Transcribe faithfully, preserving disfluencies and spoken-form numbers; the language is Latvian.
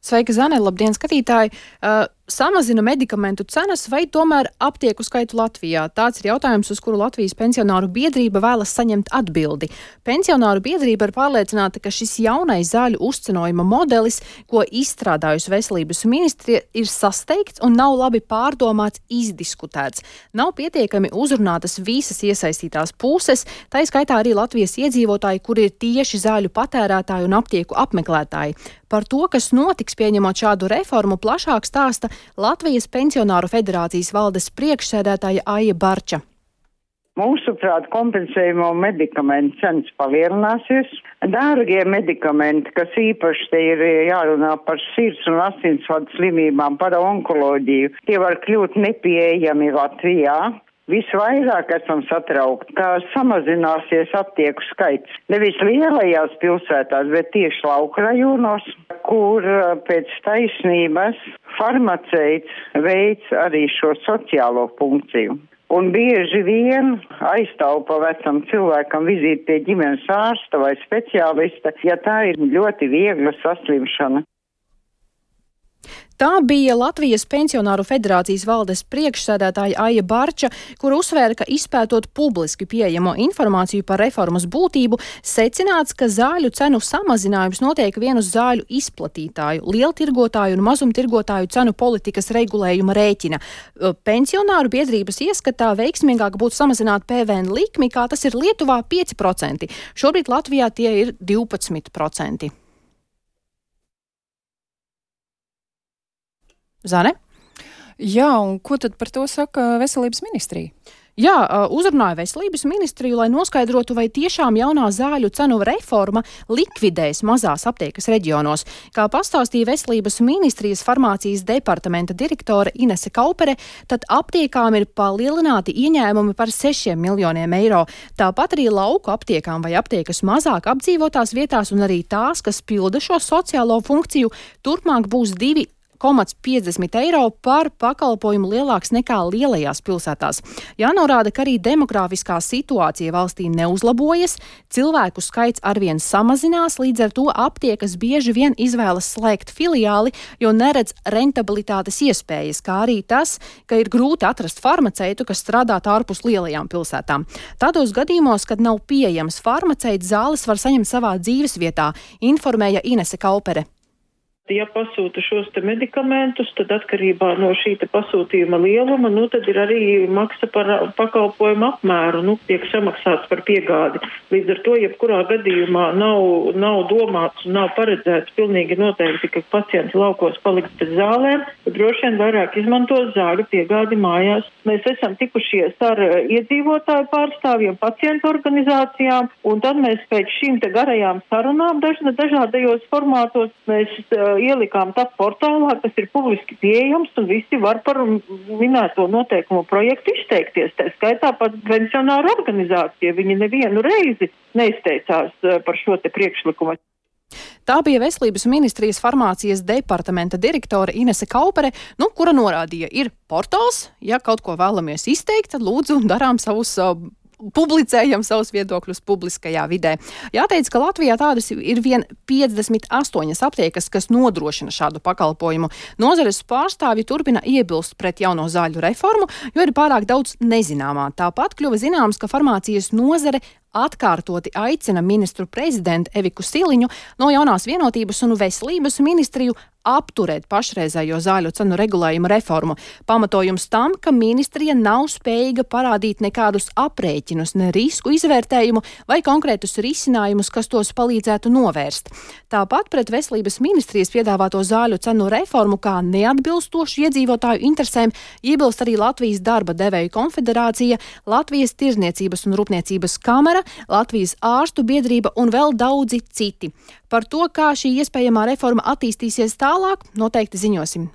Sveika, Zane, labdien, skatītāji! Uh, samazina medikamentu cenas vai tomēr aptieku skaitu Latvijā? Tāds ir jautājums, uz kuru Latvijas pensionāru biedrība vēlas saņemt atbildi. Pensionāru biedrība ir pārliecināta, ka šis jaunais zāļu uzcenojuma modelis, ko izstrādājusi veselības ministrija, ir sasteigts un nav labi pārdomāts, izdiskutēts. Nav pietiekami uzrunātas visas iesaistītās puses, tā skaitā arī Latvijas iedzīvotāji, kuri ir tieši zāļu patērētāji un aptieku apmeklētāji. Par to, kas notiks pieņemot šādu reformu, plašāk stāsta Latvijas pensionāru federācijas valdes priekšsēdētāja Aija Barča. Mūsuprāt, kompensējumu medikamentu cenas palielināsies. Dārgie medikamenti, kas īpaši te ir jārunā par sirds un asinsvadu slimībām, par onkoloģiju, tie var kļūt nepieejami Latvijā. Visvairāk esam satraukti, ka samazināsies aptieku skaits. Nevis lielajās pilsētās, bet tieši lauku rajonos, kur pēc taisnības farmaceits veids arī šo sociālo funkciju. Un bieži vien aiztaupa vecam cilvēkam vizīti pie ģimenes ārsta vai speciālista, ja tā ir ļoti viegla saslimšana. Tā bija Latvijas pensionāru federācijas valdes priekšsēdētāja Aija Barča, kur uzsvēra, ka izpētot publiski pieejamo informāciju par reformas būtību, secināts, ka zāļu cenu samazinājums notiek vien uz zāļu izplatītāju, lieltirgotāju un mazumtirgotāju cenu politikas regulējuma rēķina. Pensionāru biedrības ieskatā veiksmīgāk būtu samazināt P V N likmi, kā tas ir Lietuvā pieci procenti. Šobrīd Latvijā tie ir divpadsmit procenti. Zane? Jā, un ko tad par to saka veselības ministrija? Jā, uzrunāja veselības ministriju, lai noskaidrotu, vai tiešām jaunā zāļu cenu reforma likvidēs mazās aptiekas reģionos. Kā pastāstīja veselības ministrijas farmācijas departamenta direktore Inese Kaupere, tad aptiekām ir palielināti ieņēmumi par sešiem miljoniem eiro. Tāpat arī lauku aptiekām vai aptiekas mazāk apdzīvotās vietās un arī tās, kas pilda šo sociālo funkciju, turpmāk būs divi komats piecdesmit eiro par pakalpojumu lielāks nekā lielajās pilsētās. Jānorāda, ka arī demogrāfiskā situācija valstī neuzlabojas, cilvēku skaits arvien samazinās, līdz ar to aptiekas bieži vien izvēlas slēgt filiāli, jo neredz rentabilitātes iespējas, kā arī tas, ka ir grūti atrast farmaceitu, kas strādāt ārpus lielajām pilsētām. Tādos gadījumos, kad nav pieejams farmaceits, zāles var saņemt savā dzīves vietā, informēja Inese Kaupere. Ja pasūta šos te medikamentus, tad atkarībā no šī te pasūtījuma lieluma, nu tad ir arī maksa par pakalpojumu apmēru, nu tiek samaksāts par piegādi. Līdz ar to, jebkurā gadījumā nav, nav domāts un nav paredzēts pilnīgi noteikti, ka pacients laukos paliks bez zālēm, bet droši vien vairāk izmantos zāļu piegādi mājās. Mēs esam tikušies ar iedzīvotāju pārstāvjiem, pacientu organizācijām, un tad mēs pēc šīm te garajām sarunām daž, dažādajos formātos mēs ielikām tā portālā, kas ir publiski pieejams, un visi var par minēto noteikumu projektu izteikties. Tā skaitā pat pensionāru organizācija. Viņi nevienu reizi neizteicās par šo te priekšlikumu. Tā bija veselības ministrijas farmācijas departamenta direktore Inese Kaupere, nu, kura norādīja, ir portāls, ja kaut ko vēlamies izteikt, tad lūdzu darām savus uh, publicējam savus viedokļus publiskajā vidē. Jāteic, ka Latvijā tādas ir vien piecdesmit astoņas aptiekas, kas nodrošina šādu pakalpojumu. Nozares pārstāvji turpina iebilst pret jauno zāļu reformu, jo ir pārāk daudz nezināmā. Tāpat kļuva zināms, ka farmācijas nozare atkārtoti aicina ministru prezidentu Eviku Siliņu no jaunās vienotības un veselības ministriju apturēt pašreizējo zāļu cenu regulējumu reformu. Pamatojums tam, ka ministrija nav spējīga parādīt nekādus aprēķinus, ne risku izvērtējumu vai konkrētus risinājumus, kas tos palīdzētu novērst. Tāpat pret veselības ministrijas piedāvāto zāļu cenu reformu kā neatbilstošu iedzīvotāju interesēm iebilst arī Latvijas darba devēju konfederācija, Latvijas tirzniecības un rūpniecības kamera, Latvijas ārstu biedrība un vēl daudzi citi. Par to, kā šī iespējamā reforma attīstīsies tālāk, noteikti ziņosim